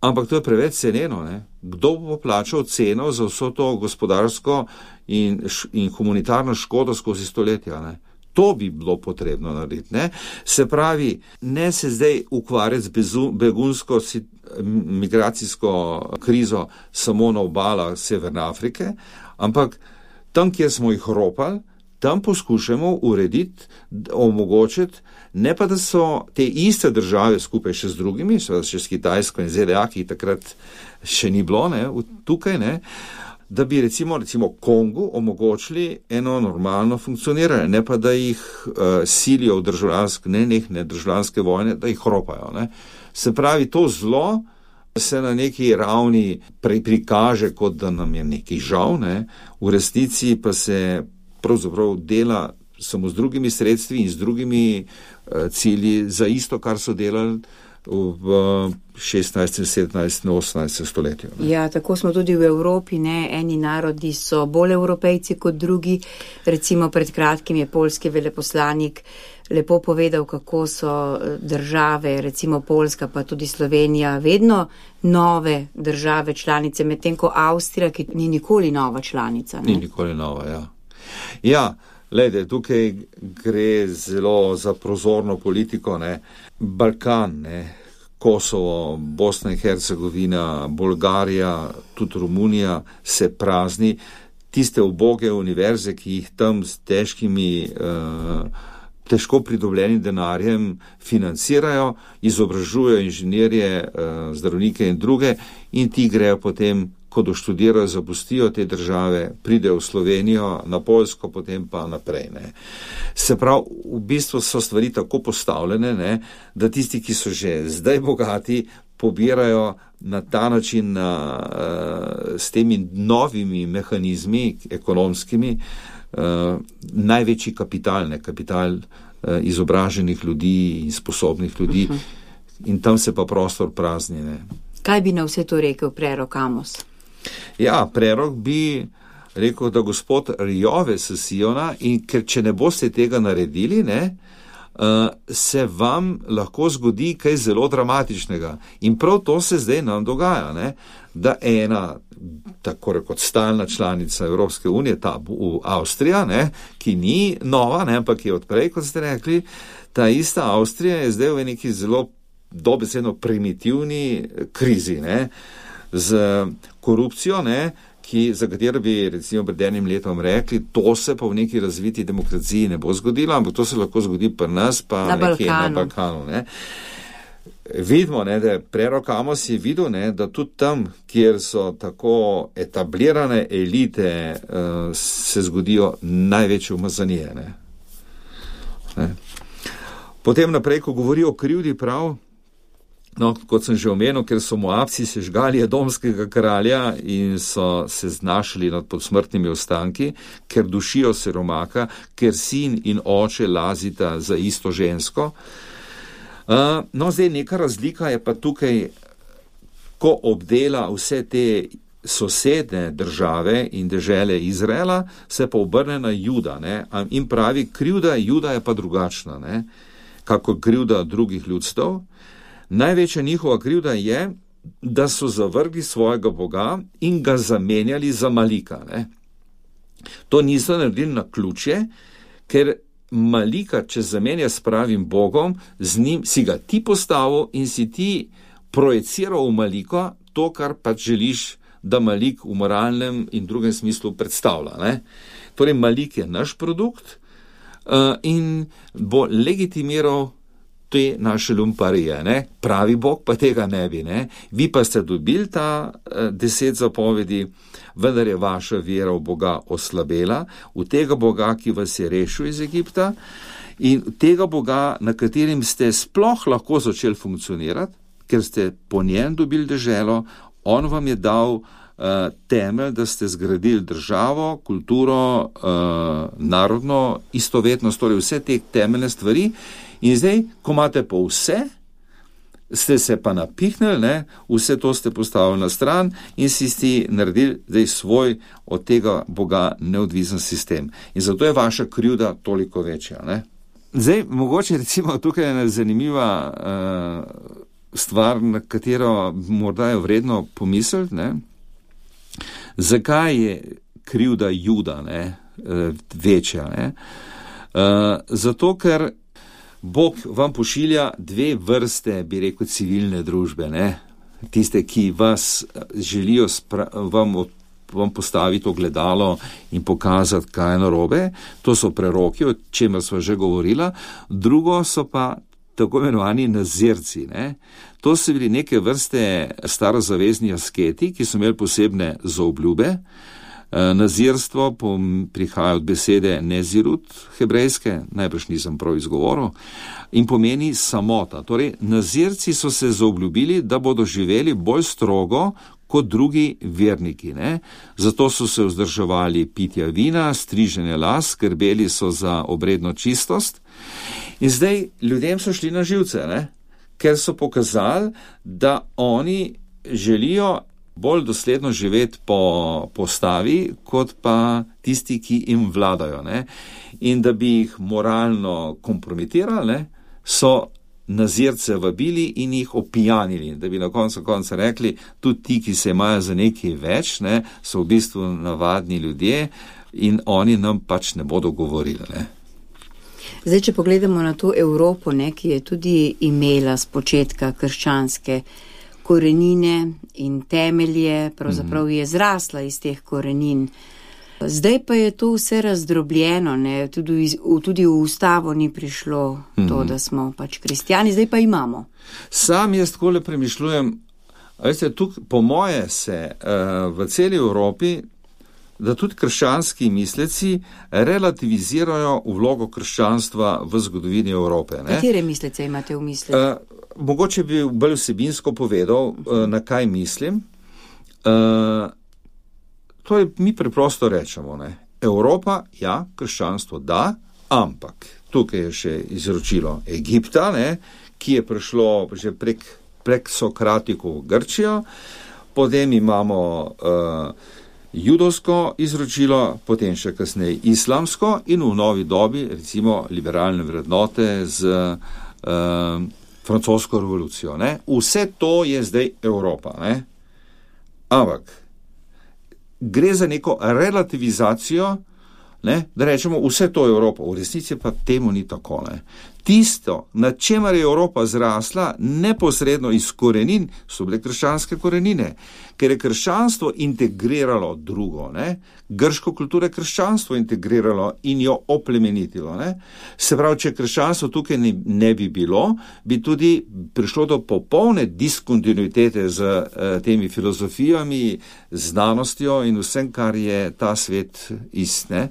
ampak to je preveč ceneno. Ne. Kdo bo plačal ceno za vso to gospodarsko in humanitarno škodo skozi stoletja? Ne. To bi bilo potrebno narediti. Ne. Se pravi, ne se zdaj ukvarjati z begunsko migracijsko krizo samo na obalah Severne Afrike, ampak tam, kjer smo jih ropali, tam poskušamo urediti, omogočiti, ne pa da so te iste države skupaj še z drugimi, še s Kitajsko in ZDA, ki takrat še ni bilo, ne, tukaj, ne, da bi recimo Kongu omogočili eno normalno funkcioniranje, ne pa da jih silijo v državljanske vojne, da jih ropajo. Ne. Se pravi, to zlo se na neki ravni prikaže, kot da nam je nekaj žal, ne. V resnici pa se pravzaprav dela samo z drugimi sredstvi in z drugimi cilji za isto, kar so delali v 16., 17., 18. stoletju. Ne. Ja, tako smo tudi v Evropi, ne, eni narodi so bolj evropejci kot drugi. Recimo pred kratkim je poljski veleposlanik lepo povedal, kako so države, recimo Poljska pa tudi Slovenija, vedno nove države članice, medtem ko Avstrija, ki ni nikoli nova članica. Ne. Ni nikoli nova, ja. Ja, glede, tukaj gre zelo za prozorno politiko, ne. Balkan, ne, Kosovo, Bosna in Hercegovina, Bolgarija, tudi Romunija se prazni. Tiste uboge univerze, ki jih tam s težko pridobljenim denarjem financirajo, izobražujejo inženirje, zdravnike in druge, in ti grejo potem, ko doštudirajo, zapustijo te države, pridejo v Slovenijo, na Poljsko, potem pa naprej. Ne. Se pravi, v bistvu so stvari tako postavljene, ne, da tisti, ki so že zdaj bogati, pobirajo na ta način s temi novimi mehanizmi ekonomskimi največji kapital, ne, kapital izobraženih ljudi in sposobnih ljudi, in tam se pa prostor prazni. Ne. Kaj bi na vse to rekel prerok Amos? Ja, prerok bi rekel, da gospod rjove s Siona, in ker če ne boste tega naredili, ne, se vam lahko zgodi kaj zelo dramatičnega. In prav to se zdaj nam dogaja, ne, da ena, tako rekot, stalna članica Evropske unije, ta Avstrija, ne, ki ni nova, ne, ampak je odprej, kot ste rekli, ta ista Avstrija je zdaj v neki zelo dobesedno primitivni krizi, ne, z korupcijo, ne, za katero bi recimo pred enim letom rekli, to se pa v neki razviti demokraciji ne bo zgodilo, ampak to se lahko zgodi pri nas, pa nekje na Balkanu. Ne. Vidimo, ne, da je prerok Amos je videl, ne, da tudi tam, kjer so tako etablirane elite, se zgodijo največje umazanije. Ne. Potem naprej, ko govori o krivdi, prav, no, kot sem že omenil, ker so Moabci sežgali edomskega kralja in so se znašli nad podsmrtnimi ostanki, ker dušijo siromaka, ker sin in oče lazita za isto žensko. No, zdaj neka razlika je pa tukaj, ko obdela vse te sosedne države in dežele Izraela, se pa obrne na Juda, ne, in pravi, krivda Juda je pa drugačna, ne, kako krivda drugih ljudstev. Največja njihova krivda je, da so zavrgli svojega Boga in ga zamenjali za Malika. Ne. To niso naredili na ključje, ker Malika, če zamenja s pravim Bogom, z njim si ga ti postavil in si ti projeciral v Malika to, kar pač želiš, da Malik v moralnem in drugem smislu predstavlja. Ne. Torej, Malik je naš produkt in bo legitimiral te naše lumparije, ne? Pravi Bog pa tega ne bi. Ne? Vi pa ste dobili ta 10 zapovedi, vendar je vaša vera v Boga oslabela, v tega Boga, ki vas je rešil iz Egipta, in tega Boga, na katerim ste sploh lahko začeli funkcionirati, ker ste po njem dobili deželo, on vam je dal temelj, da ste zgradili državo, kulturo, narodno istovetnost, torej vse te temeljne stvari. In zdaj, ko imate pa vse, ste se pa napihnili, ne, vse to ste postavili na stran in si naredili zdaj svoj od tega Boga neodvisen sistem. In zato je vaša krivda toliko večja. Ne. Zdaj, mogoče recimo tukaj je ena zanimiva stvar, na katero morda je vredno pomisliti, ne. Zakaj je krivda Juda, ne, večja, ne? Zato, ker Bog vam pošilja dve vrste, bi rekel, civilne družbe, ne? Tiste, ki vas želijo vam postaviti ogledalo in pokazati, kaj je narobe. To so preroki, o čemer sva že govorila. Drugo so pa tako imenovani nazirci, ne? To so bili neke vrste starozavezni asketi, ki so imeli posebne zaobljube. Nazirstvo prihaja od besede nezirut, hebrejske, najbrž nisem prav izgovoril, in pomeni samota. Torej, nazirci so se zaobljubili, da bodo živeli bolj strogo kot drugi verniki, ne? Zato so se vzdrževali pitja vina, striženja las, skrbeli so za obredno čistost. In zdaj ljudem so šli na živce, ne? Ker so pokazali, da oni želijo bolj dosledno živeti po postavi, kot pa tisti, ki jim vladajo, ne? In da bi jih moralno kompromitirali, ne, so nazirce vabili in jih opijanili, da bi na koncu rekli, tudi ti, ki se imajo za nekaj več, ne, so v bistvu navadni ljudje in oni nam pač ne bodo govorili, ne. Zdaj, če pogledamo na to Evropo, ne, ki je tudi imela z početka krščanske korenine in temelje, pravzaprav je zrasla iz teh korenin. Zdaj pa je to vse razdrobljeno, ne? Tudi v ustavo ni prišlo to, da smo pač kristjani, zdaj pa imamo. Sam jaz takole premišljujem, veste, tukaj po moje se v celi Evropi, da tudi krščanski misleci relativizirajo vlogo krščanstva v zgodovini Evrope. Ne? Katere mislece imate v misli? Mogoče bi bolj vsebinsko povedal, na kaj mislim. To je, mi preprosto rečemo, ne. Evropa, ja, krščanstvo, da, ampak tukaj je še izročilo Egipta, ne, ki je prišlo že prek Sokratiko v Grčijo, potem imamo judovsko izročilo, potem še kasneje islamsko in v novi dobi, recimo, liberalne vrednote z francosko revolucijo, ne. Vse to je zdaj Evropa, ne. Ampak gre za neko relativizacijo, ne, da rečemo, vse to je Evropa. V resnici pa temu ni tako, ne. Tisto, na čemer je Evropa zrasla, neposredno iz korenin, so bile krščanske korenine, ker je krščanstvo integriralo drugo, ne. Grško kulturo je krščanstvo integriralo in jo oplemenitilo, ne. Se pravi, če krščanstvo tukaj ne bi bilo, bi tudi prišlo do popolne diskontinuitete z temi filozofijami, znanostjo in vsem, kar je ta svet ist, ne.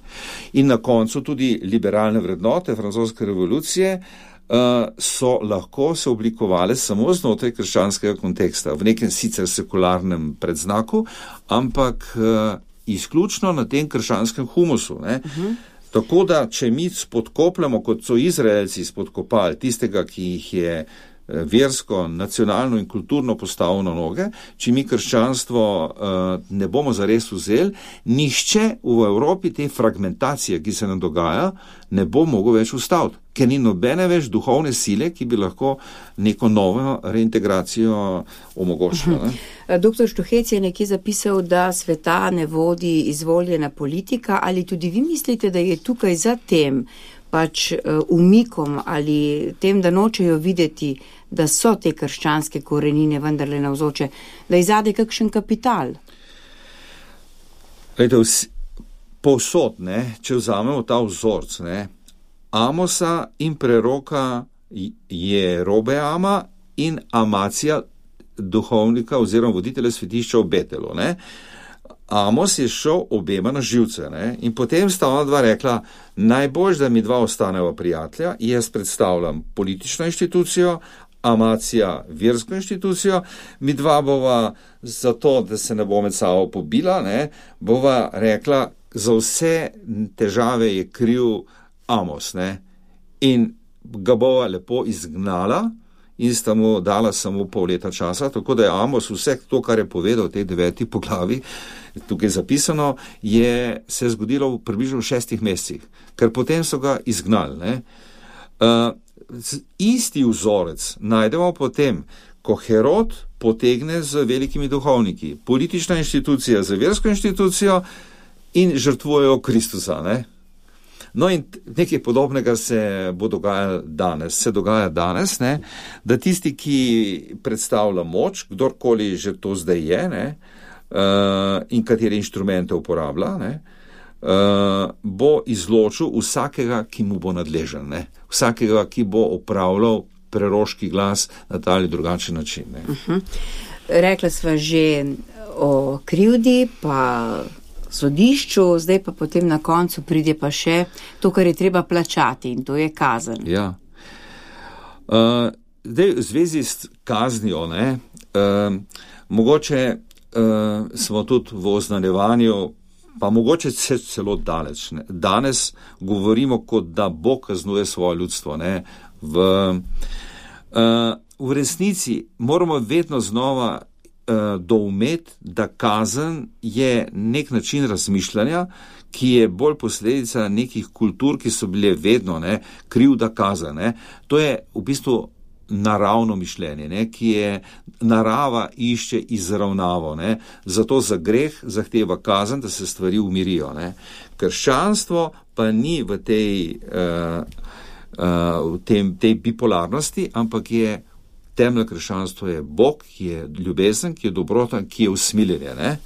In na koncu tudi liberalne vrednote francoske revolucije so lahko se oblikovale samo znotraj krščanskega konteksta, v nekem sicer sekularnem predznaku, ampak izključno na tem krščanskem humusu, ne. Tako da, če mi spodkopljamo, kot so Izraelci spodkopali tistega, ki jih je versko, nacionalno in kulturno postavil na noge, če mi krščanstvo ne bomo zares vzeli, nihče v Evropi te fragmentacije, ki se nam dogaja, ne bo mogel več ustaviti, ker ni nobene več duhovne sile, ki bi lahko neko novo reintegracijo omogočila. Doktor Štuhec je nekje zapisal, da sveta ne vodi izvoljena politika, ali tudi vi mislite, da je tukaj za tem pač umikom ali tem, da nočejo videti, da so te krščanske korenine vendarle navzoče, da izade kakšen kapital? Glejte, povsod, ne, če vzamemo ta vzorc, ne, Amosa in preroka Jerobeama in Amacija, duhovnika oziroma voditelja svetišča v Betelu, ne. Amos je šel obema na živce, ne, in potem sta ona dva rekla, najbolj, da mi dva ostaneva prijatelja, jaz predstavljam politično inštitucijo, Amacija versko inštitucijo, mi dva bova zato, da se ne bo med sabo pobila, ne, bova rekla, za vse težave je kriv Amos, ne, in ga bova lepo izgnala in sta mu dala samo pol leta časa, tako da je Amos vse to, kar je povedal v tej 9. poglavi, tukaj zapisano, se je zgodilo v približno 6 mesecih, ker potem so ga izgnali. Ne? Isti vzorec najdemo potem, ko Herod potegne z velikimi duhovniki, politična inštitucija z versko inštitucijo in žrtvujejo Kristusa. Ne? No in nekaj podobnega se dogaja danes, ne? Da tisti, ki predstavlja moč, kdorkoli že to zdaj je, ne? In katere inštrumente uporablja, ne? Bo izločil vsakega, ki mu bo nadležen, ne? Vsakega, ki bo opravljal preroški glas na ta ali drugačen način. Ne? Rekla sva že o krivdi, pa sodišču, zdaj pa potem na koncu pride pa še to, kar je treba plačati, in to je kazen. Ja. Zdaj, v zvezi s kaznijo, ne, mogoče smo tudi v oznanjevanju, pa mogoče celo daleč. Ne. Danes govorimo, kot da Bog kaznuje svoje ljudstvo. Ne. V resnici moramo vedno znova doumeti, da kazen je nek način razmišljanja, ki je bolj posledica nekih kultur, ki so bile vedno krivda kazen. Ne. To je v bistvu naravno mišljenje, ne, ki je narava išče izravnavo. Ne. Zato za greh zahteva kazen, da se stvari umirijo. Ne. Krščanstvo pa ni v tej bipolarnosti, ampak je temelj krščanstva je Bog, ki je ljubezen, ki je dobrota, ki je usmiljenje. Ne?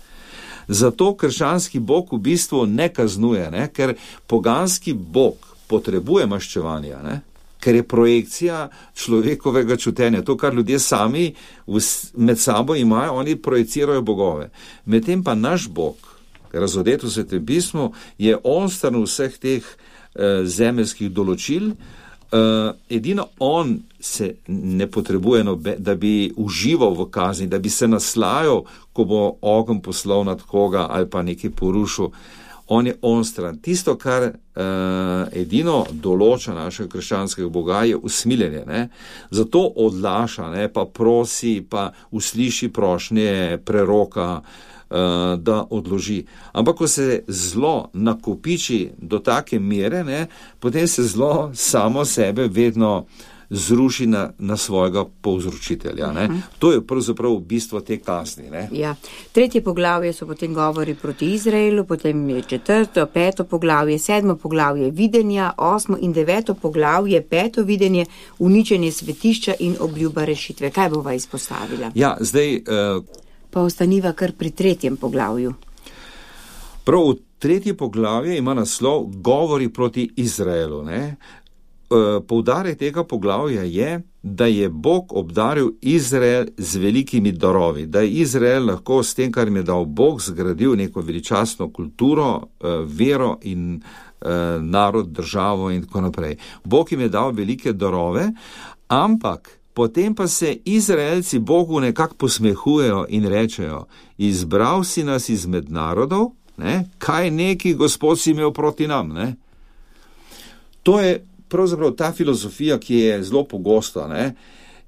Zato krščanski Bog v bistvu ne kaznuje, ne? Ker poganski Bog potrebuje maščevanja, ne? Ker je projekcija človekovega čutenja. To, kar ljudje sami med sabo imajo, oni projecirajo bogove. Medtem pa naš Bog, razodet v Svetem pismu, je onstran vseh teh zemeljskih določil. Edino on se ne potrebuje, da bi užival v kazni, da bi se naslajal, ko bo ogenj poslal nad koga ali pa nekaj porušil. On je onstran. Tisto, kar edino določa našega krščanskega Boga, je usmiljenje. Ne? Zato odlaša, ne? Pa prosi, pa usliši prošnje preroka, da odloži. Ampak, ko se zlo nakopiči do take mere, ne, potem se zlo samo sebe vedno zruši na svojega povzročitelja. Ne. To je pravzaprav bistvo te kazni. Ne. Ja. 3. poglavje so potem govori proti Izraelu, potem je 4., 5. poglavje, 7. poglavje videnja, 8. in 9. poglavje, 5. videnje, uničenje svetišča in obljuba rešitve. Kaj bova izpostavila? Ja, zdaj pa ostaniva kar pri 3. poglavju. Prav v 3. poglavju ima naslov Govori proti Izraelu. Ne? Poudarek tega poglavja je, da je Bog obdaril Izrael z velikimi darovi, da je Izrael lahko s tem, kar jim je dal Bog, zgradil neko veličastno kulturo, vero in narod, državo in tako naprej. Bog jim je dal velike darove, ampak potem pa se Izraelci Bogu nekako posmehujejo in rečejo, izbral si nas izmed narodov, ne? Kaj neki Gospod si imel proti nam. Ne? To je pravzaprav ta filozofija, ki je zelo pogosta. Ne?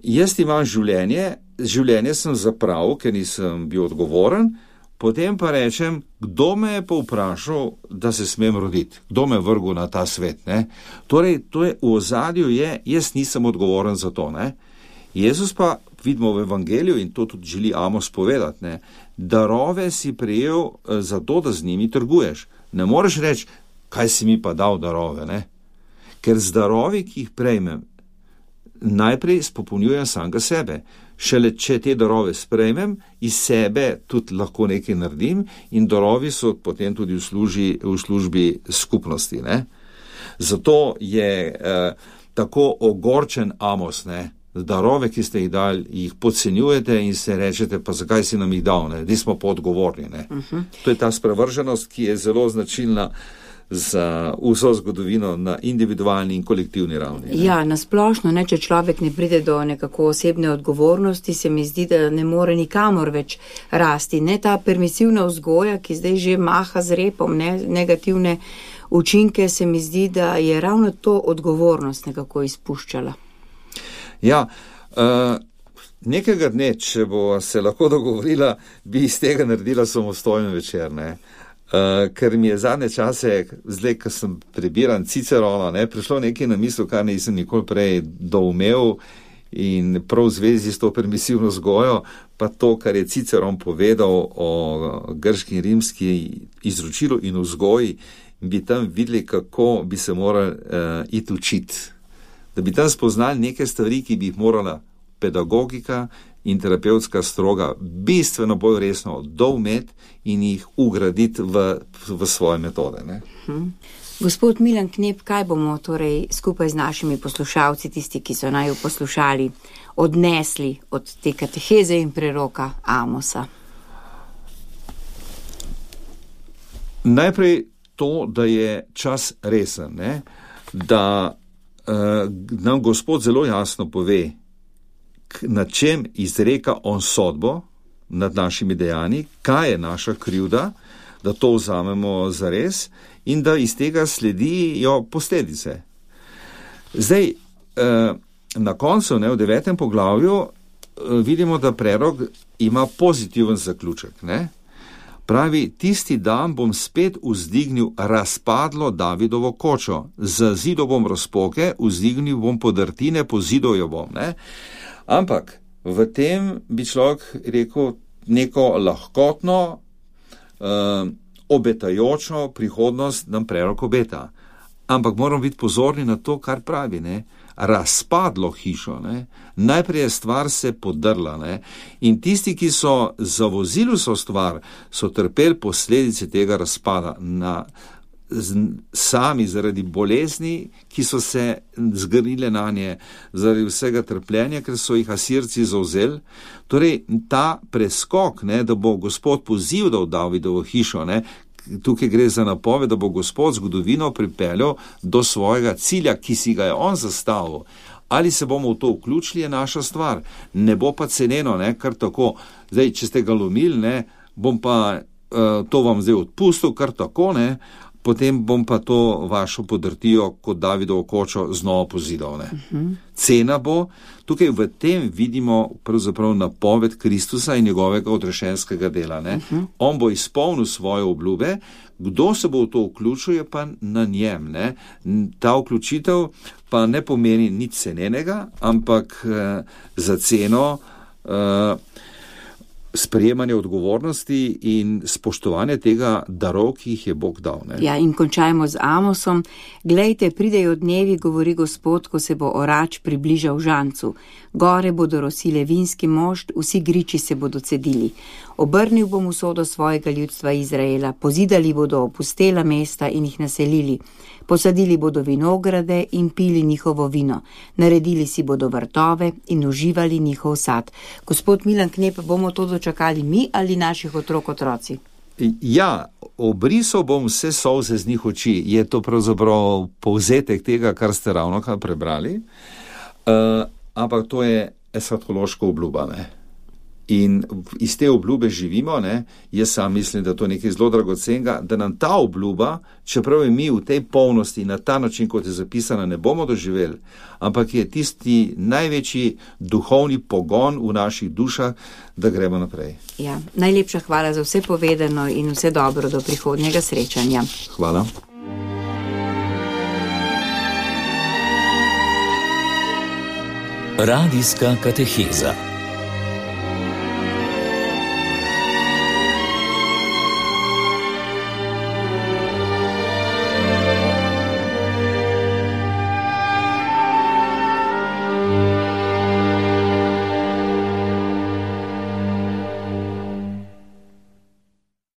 Jaz imam življenje sem zapravil, ker nisem bil odgovoren, potem pa rečem, kdo me je pa vprašal, da se smem roditi, kdo me je vrgel na ta svet. Ne? Torej, to je v ozadju, jaz nisem odgovoren za to. Ne? Jezus pa, vidimo v evangeliju, in to tudi želi Amos povedati, ne, darove si prejel zato, da z njimi trguješ. Ne moreš reči, kaj si mi pa dal darove, ne? Ker z darovi, ki jih prejmem, najprej spopolnjujem samega sebe. Šele če te darove sprejmem, iz sebe tudi lahko nekaj naredim in darovi so potem tudi v službi skupnosti. Ne? Zato je tako ogorčen Amos, ne? Darove, ki ste jih dali, jih podcenjujete in se rečete, pa zakaj si nam jih dal, ne? Di smo pa odgovorni. Ne? To je ta sprevrženost, ki je zelo značilna za vso zgodovino na individualni in kolektivni ravni. Ne? Ja, nasplošno, če človek ne pride do nekako osebne odgovornosti, se mi zdi, da ne more nikamor več rasti. Ne ta permisivna vzgoja, ki zdaj že maha z repom, negativne učinke, se mi zdi, da je ravno to odgovornost nekako izpuščala. Ja, Nekega dne, če bo se lahko dogovorila, bi iz tega naredila samostojen večer, ne. Ker mi je zadnje čase, zdaj, ko sem prebiran Cicerona, ne, prišlo nekaj na misel, kar nisem nikoli prej doumel in prav v zvezi s to permisivno vzgojo, pa to, kar je Ciceron povedal o grški in rimski izročilu in vzgoji, bi tam videli, kako bi se morali iti učiti. Da bi tam spoznali neke stvari, ki bi jih morala pedagogika in terapevtska stroga bistveno bolj resno doumeti in jih ugraditi v svoje metode. Ne? Gospod Milan Knep, kaj bomo torej skupaj z našimi poslušalci, tisti, ki so naju poslušali, odnesli od te kateheze in preroka Amosa? Najprej to, da je čas resen, ne? Da nam Gospod zelo jasno pove, na čem izreka on sodbo nad našimi dejanji, kaj je naša krivda, da to vzamemo zares in da iz tega sledijo posledice. Zdaj, na koncu, ne, v 9. poglavju, vidimo, da prerok ima pozitiven zaključek. Ne? Pravi, tisti dan bom spet vzdignil razpadlo Davidovo kočo, z zidom bom razpoke, vzdignil bom podrtine, pozidal jo bom. Ne? Ampak v tem bi človek rekel neko lahkotno, obetajočo prihodnost nam prerok obeta. Ampak moramo biti pozorni na to, kar pravi, ne? Razpadlo hišo. Ne? Najprej je stvar se podrla. Ne? In tisti, ki so zavozili so stvar, so trpeli posledice tega razpada sami zaradi bolezni, ki so se zgrnile na nje, zaradi vsega trpljenja, ker so jih Asirci zavzeli. Torej, ta preskok, ne, da bo Gospod pozival Davidovo hišo, ne, tukaj gre za napoved, da bo Gospod zgodovino pripeljal do svojega cilja, ki si ga je on zastavil. Ali se bomo v to vključili, je naša stvar. Ne bo pa ceneno, ne, kar tako. Zdaj, če ste ga lomili, ne, bom pa to vam zdaj odpustil, kar tako, ne, potem bom pa to vašo podrtijo kot Davidovo kočo znova pozidal. Ne. Cena bo, tukaj v tem vidimo pravzaprav napoved Kristusa in njegovega odrešenskega dela. Ne. On bo izpolnil svoje obljube, kdo se bo v to vključil, je pa na njem. Ne. Ta vključitev pa ne pomeni nič cenenega, ampak za ceno sprejemanje odgovornosti in spoštovanje tega darov, ki jih je Bog dal. Ne? Ja, in končajmo z Amosom. Glejte, pridejo dnevi, govori Gospod, ko se bo orač približal žancu. Gore bodo rosile vinski mošt, vsi griči se bodo cedili. Obrnil bom usodo svojega ljudstva Izraela, pozidali bodo opustela mesta in jih naselili. Posadili bodo vinograde in pili njihovo vino. Naredili si bodo vrtove in uživali njihov sad. Gospod Milan Knep, bomo to dočakali mi ali naših otroci? Ja, obrisal bom vse solze z njih oči. Je to pravzaprav povzetek tega, kar ste ravnokar prebrali. Ampak to je eshatološka obljuba, ne? In iz te obljube živimo, ne? Jaz sam mislim, da to je nekaj zelo dragocenega, da nam ta obljuba, čeprav je mi v tej polnosti na ta način, kot je zapisana, ne bomo doživeli, ampak je tisti največji duhovni pogon v naših dušah, da gremo naprej. Ja, najlepša hvala za vse povedano in vse dobro do prihodnjega srečanja. Hvala. Radijska kateheza.